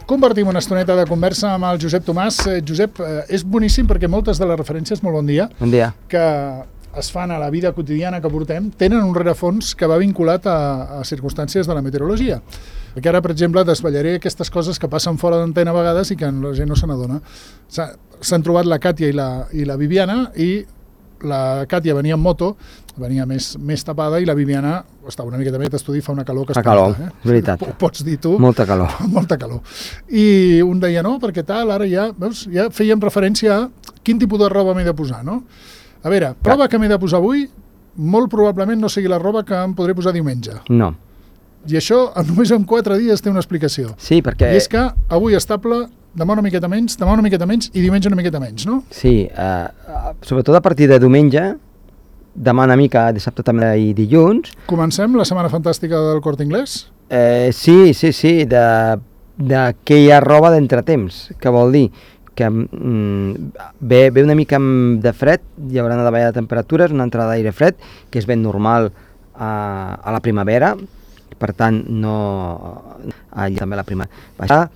Compartim una estoneta de conversa amb el Josep Tomàs. Josep, és boníssim perquè moltes de les referències, molt bon dia, que es fan a la vida quotidiana que portem, tenen un rerefons que va vinculat a circumstàncies de la meteorologia. Perquè ara, per exemple, desvetllaré aquestes coses que passen fora d'antena a vegades i que la gent no se n'adona. S'han trobat la Càtia i la Viviana, i la Càtia venia en moto, venia més tapada, i la Viviana estava una miqueta més d'estudi, fa una calor que fa calor, és veritat. Pots dir tu. Molta calor. Molta calor. I un deia, no, perquè tal, ara ja, veus, ja fèiem referència a quin tipus de roba m'he de posar, no? A veure, prova que m'he de posar avui, molt probablement no sigui la roba que em podré posar diumenge. No. I això només en 4 dies té una explicació. Sí, perquè... I és que avui estable, demà una miqueta menys i diumenge una miqueta menys, no? Sí, sobretot a partir de diumenge, demà una mica, dissabte també i dilluns. Comencem la setmana fantàstica del Corte Inglés? Sí, d'aquella roba d'entretemps, que vol dir que ve una mica de fred, hi haurà una davallada de temperatures, una entrada d'aire fred, que és ben normal a la primavera, per tant, també la primavera.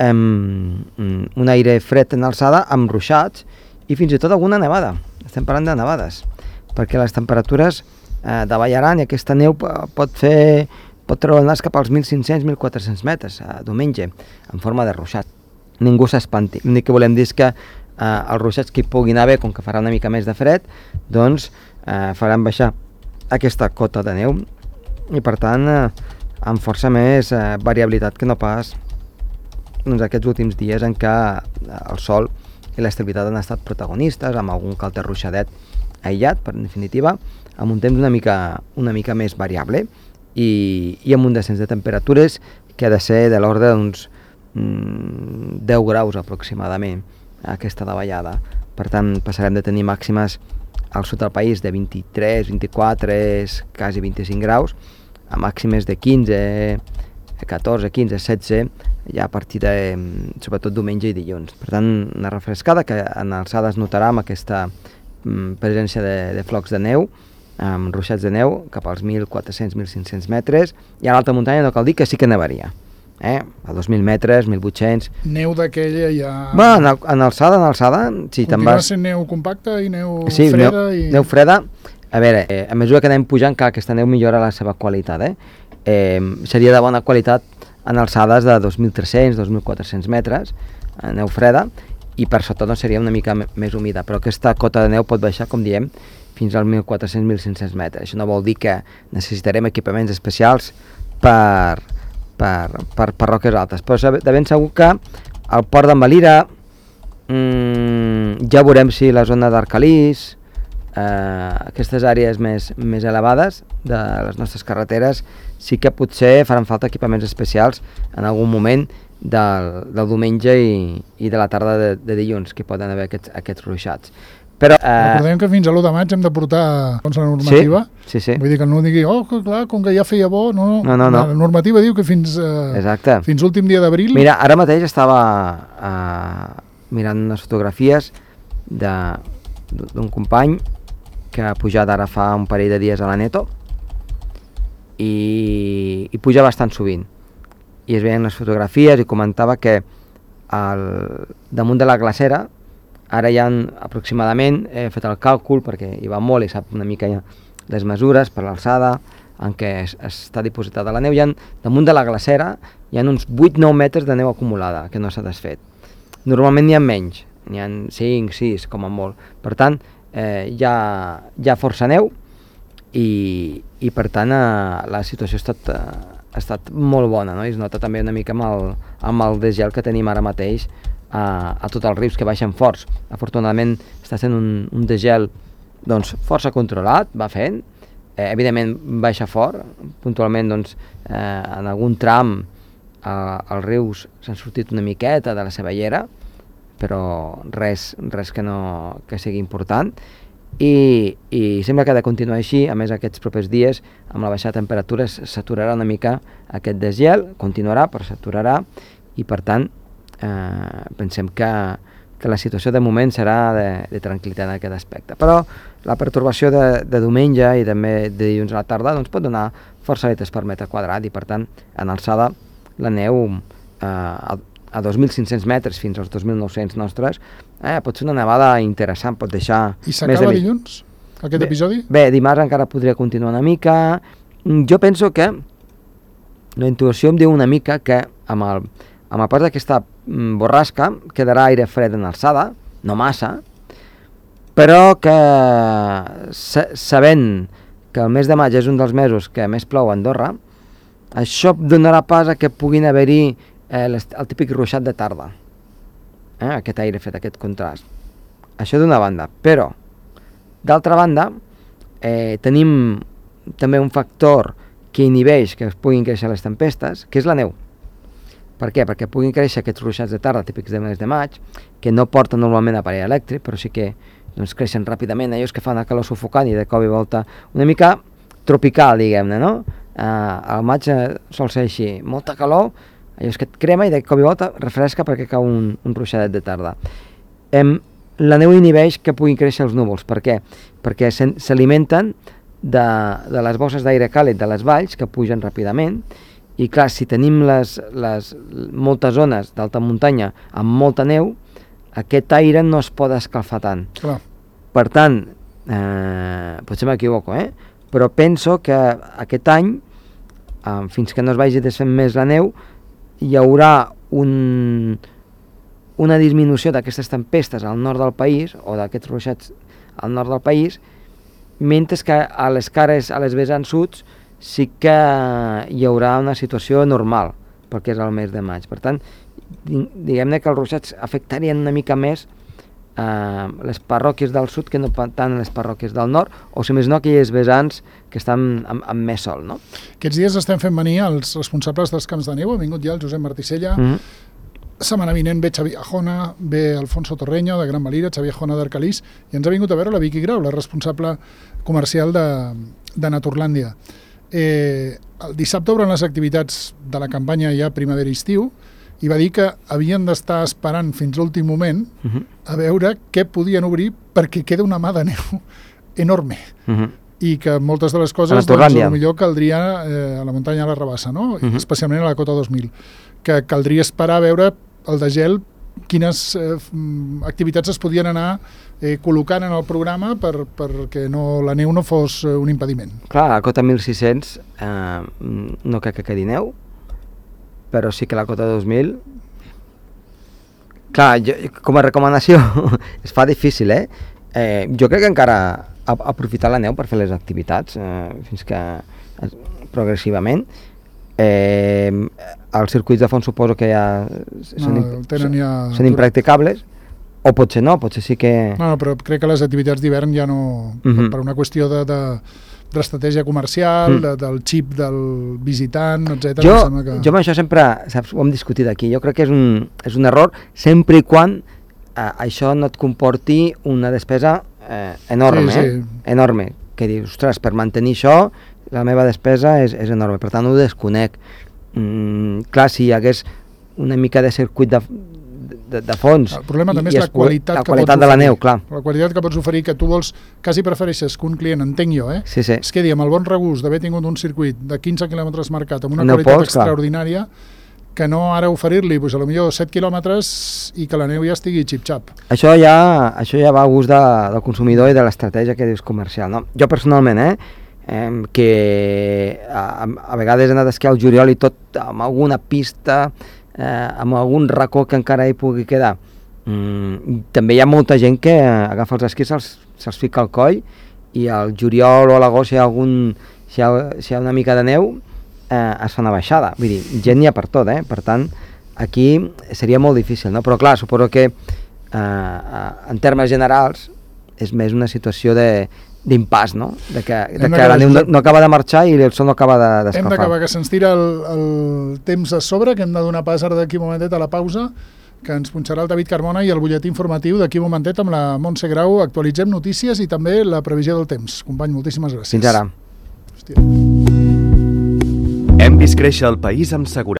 Un aire fred en alçada, amb ruixats, i fins i tot alguna nevada. Estem parlant de nevades, perquè les temperatures davallaran i aquesta neu pot treure el nas cap als 1.500-1.400 metres diumenge, en forma de ruixat. Ningú s'espanti. L'únic que volem dir és que els ruixats que hi puguin haver, com que farà una mica més de fred, doncs faran baixar aquesta cota de neu i per tant amb força més variabilitat que no pas aquests últims dies en què el sol i l'estabilitat han estat protagonistes, amb algun calter ruixadet aïllat, per definitiva, amb un temps una mica més variable i amb un descens de temperatures que ha de ser de l'ordre d'uns 10 graus aproximadament aquesta davallada. Per tant, passarem de tenir màximes al sud del país de 23, 24, quasi 25 graus, a màximes de 15, 14, 15, 16, ja a partir de, sobretot, diumenge i dilluns. Per tant, una refrescada que en alçada es notarà amb aquesta presència de flocs de neu, amb ruixats de neu cap als 1.400-1.500 metres, i a l'alta muntanya no cal dir que sí que nevaria. A 2.000 metres, 1.800... Neu d'aquella ja... Bueno, en alçada, sí, te'n vas... Continua sent neu compacta i neu freda i... Neu freda. A veure, a mesura que anem pujant, clar, aquesta neu millora la seva qualitat, seria de bona qualitat en alçades de 2.300, 2.400 metres, neu freda, i per sota doncs seria una mica més humida, però aquesta cota de neu pot baixar, com diem, fins als 1.400-1.500 metres. Això no vol dir que necessitarem equipaments especials per roques altes, però de ben segur que al port d'en Valira ja veurem si la zona d'Arcalís, aquestes àrees més elevades de les nostres carreteres, sí que potser faran falta equipaments especials en algun moment del diumenge i de la tarda de dilluns, que poden haver aquests ruixats. Però, recordem que fins a l'1 de maig hem de portar la normativa. Sí. Vull dir que no digui, clar, com que ja feia bo, no. La normativa diu que fins l'últim dia d'abril... Mira, ara mateix estava mirant unes fotografies d'un company que ha pujat ara fa un parell de dies a la Neto i puja bastant sovint. I es veien les fotografies i comentava que damunt de la glacera ara hi ha aproximadament, he fet el càlcul perquè hi va molt i sap una mica les mesures per l'alçada en què està dipositada la neu, damunt de la glacera hi ha uns 8-9 metres de neu acumulada que no s'ha desfet. Normalment n'hi ha menys, n'hi ha 5, 6 com a molt. Per tant, hi ha força neu i per tant la situació ha estat molt bona, no? I es nota també una mica amb el desgel que tenim ara mateix a tots els rius que baixen forts. Afortunadament està sent un desgel doncs, força controlat, va fent, evidentment baixa fort, puntualment doncs, en algun tram els rius s'han sortit una miqueta de la seva llera, però res que sigui important i sembla que ha de continuar així. A més, aquests propers dies, amb la baixada de temperatures, s'aturarà una mica aquest desgel, continuarà però s'aturarà i per tant pensem que la situació de moment serà de tranquil·litat en aquest aspecte. Però la pertorbació de diumenge i també de dilluns a la tarda doncs, pot donar força litres per metre quadrat i per tant en alçada la neu a 2.500 metres fins als 2.900 nostres, pot ser una nevada interessant, pot deixar... I s'acaba dilluns, aquest episodi? Bé, dimarts encara podria continuar una mica. Jo penso que la intuïció em diu una mica que amb el pas d'aquesta borrasca quedarà aire fred en alçada, no massa, però que sabent que el mes de maig és un dels mesos que més plou a Andorra, això donarà pas a que puguin haver-hi el típic ruixat de tarda, aquest aire fred, aquest contrast. Això d'una banda, però d'altra banda tenim també un factor que inhibeix que es puguin créixer les tempestes, que és la neu. Per què? Perquè puguin créixer aquests ruixats de tarda típics de mes de maig, que no porten normalment aparell elèctric, però sí que creixen ràpidament, allò que fan a calor sufocant i de cop i volta una mica tropical, diguem-ne, no? Al maig sol ser així, molta calor, allò que et crema i de cop i volta refresca perquè cau un ruixadet de tarda. La neu inhibeix que puguin créixer els núvols. Per què? Perquè s'alimenten de les bosses d'aire càlid de les valls que pugen ràpidament i clar, si tenim moltes zones d'alta muntanya amb molta neu, aquest aire no es pot escalfar tant. Clar. Per tant, potser m'equivoco, però penso que aquest any, fins que no es vagi desfent més la neu, hi haurà una disminució d'aquestes tempestes al nord del país, o d'aquests ruixats al nord del país, mentre que a les cares, a les vessants sud, sí que hi haurà una situació normal, perquè és el mes de maig. Per tant, diguem-ne que els ruixats afectarien una mica més les parròquies del sud que no tant les parròquies del nord, o si més no aquelles vessants que estan amb més sol, no? Aquests dies estem fent venir els responsables dels camps de neu, ha vingut ja el Josep Marticella, setmana vinent ve Xavier Ajona, ve Alfonso Torreño de Gran Valira, Xavier Ajona d'Arcalís, i ens ha vingut a veure la Vicky Grau, la responsable comercial de Naturlàndia. El dissabte obren les activitats de la campanya ja primavera-estiu, i va dir que havien d'estar esperant fins l'últim moment a veure què podien obrir perquè queda una mà de neu enorme i que moltes de les coses potser caldria a la muntanya a la Rabassa, no? Especialment a la Cota 2000, que caldria esperar a veure el de gel quines activitats es podien anar col·locant en el programa perquè la neu no fos un impediment. Clar, a la Cota 1600 no crec que quedi neu, però sí que la Cota 2000... Clar, com a recomanació es fa difícil, jo crec que encara aprofitar la neu per fer les activitats fins que progressivament. Els circuits de fons suposo que ja són impracticables, o potser no, potser sí que... No, però crec que les activitats d'hivern ja no... Per una qüestió d'estratègia comercial, del xip del visitant, etc. Jo amb això sempre, saps, ho hem discutit aquí, jo crec que és un error sempre i quan això no et comporti una despesa enorme, enorme, que dius, ostres, per mantenir això la meva despesa és enorme, per tant ho desconec. Clar, si hi hagués una mica de circuit de fons. El problema també és la qualitat de la neu, clar. La qualitat que pots oferir, que tu vols, quasi prefereixes que un client, entenc jo, es quedi amb el bon regust d'haver tingut un circuit de 15 quilòmetres marcat amb una qualitat extraordinària, que no ara oferir-li, potser potser 7 quilòmetres i que la neu ja estigui xip-xap. Això ja va a gust del consumidor i de l'estratègia que dius comercial, no? Jo personalment, que a vegades he anat a esquiar al juliol i tot amb alguna pista, amb algun racó que encara hi pugui quedar. També hi ha molta gent que agafa els esquís, se'ls fica al coll i al juliol o a l'agost si hi ha una mica de neu es fa una baixada. Vull dir, gent n'hi ha per tot, per tant aquí seria molt difícil, no? Però clar, suposo que en termes generals és més una situació d'impàs, no? De que la neu no acaba de marxar i el sol no acaba d'escalfar. Hem d'acabar, que se'ns tira el temps a sobre, que hem de donar pas ara d'aquí un momentet a la pausa, que ens punxarà el David Carmona i el butlletí informatiu d'aquí un momentet amb la Montse Grau. Actualitzem notícies i també la previsió del temps. Company, moltíssimes gràcies. Fins ara. Hem vist créixer el país amb seguretat.